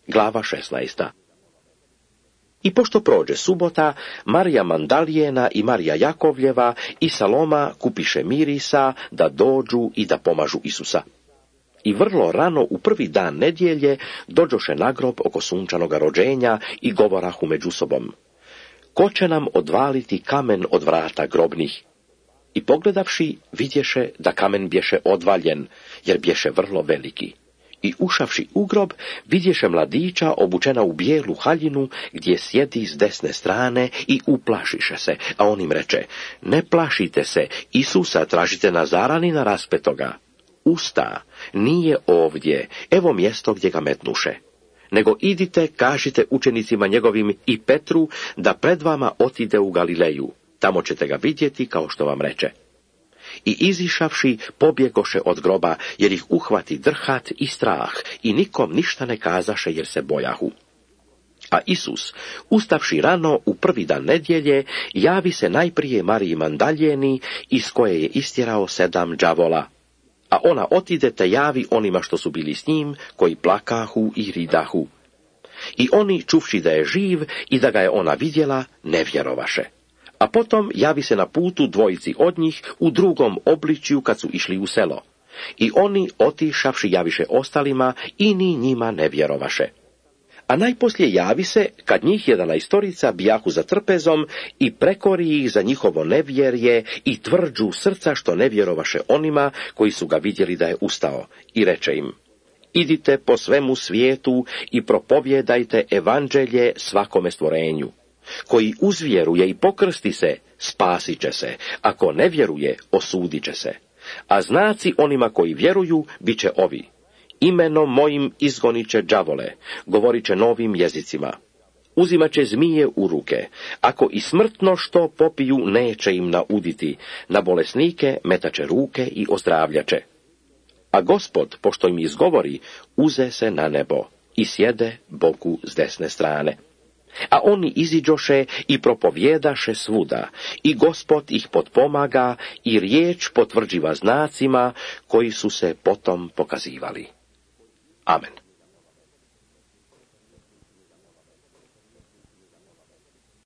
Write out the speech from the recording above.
Glava 16. I pošto prođe subota, Marija Mandalijena i Marija Jakovljeva i Saloma kupiše mirisa da dođu i da pomažu Isusa. I vrlo rano u prvi dan nedjelje dođoše na grob oko sunčanoga rođenja i govorahu među sobom: ko će nam odvaliti kamen od vrata grobnih? I pogledavši, vidješe da kamen bješe odvaljen, jer bješe vrlo veliki. I ušavši u grob, vidješe mladića obučena u bijelu haljinu, gdje sjedi s desne strane, i uplašiše se, a on im reče: ne plašite se, Isusa tražite Nazaranina raspetoga. Usta, nije ovdje, evo mjesto gdje ga metnuše. Nego idite, kažite učenicima njegovim i Petru da pred vama otide u Galileju, tamo ćete ga vidjeti kao što vam reče. I izišavši, pobjegoše od groba, jer ih uhvati drhat i strah, i nikom ništa ne kazaše, jer se bojahu. A Isus, ustavši rano u prvi dan nedjelje, javi se najprije Mariji Mandaljeni, iz koje je istjerao 7 đavola. A ona otide te javi onima što su bili s njim, koji plakahu i ridahu. I oni, čuvši da je živ i da ga je ona vidjela, ne vjerovaše. A potom javi se na putu dvojici od njih u drugom obličju kad su išli u selo. I oni, otišavši, javiše ostalima i ni njima ne vjerovaše. A najposlije javi se, kad njih 11 bijahu za trpezom, i prekori ih za njihovo nevjerje i tvrđu srca što ne vjerovaše onima koji su ga vidjeli da je ustao. I reče im: idite po svemu svijetu i propovjedajte evanđelje svakome stvorenju. Koji uzvjeruje i pokrsti se, spasit će se, ako ne vjeruje, osudit će se. A znaci onima koji vjeruju bit će ovi: imenom mojim izgonit će đavole, govorit će novim jezicima, uzimat će zmije u ruke, ako i smrtno što popiju neće im nauditi, na bolesnike metaće ruke i ozdravljaće. A Gospod, pošto im izgovori, uze se na nebo i sjede Bogu s desne strane. A oni iziđoše i propovjedaše svuda, i Gospod ih potpomaga i riječ potvrđiva znacima koji su se potom pokazivali. Amen.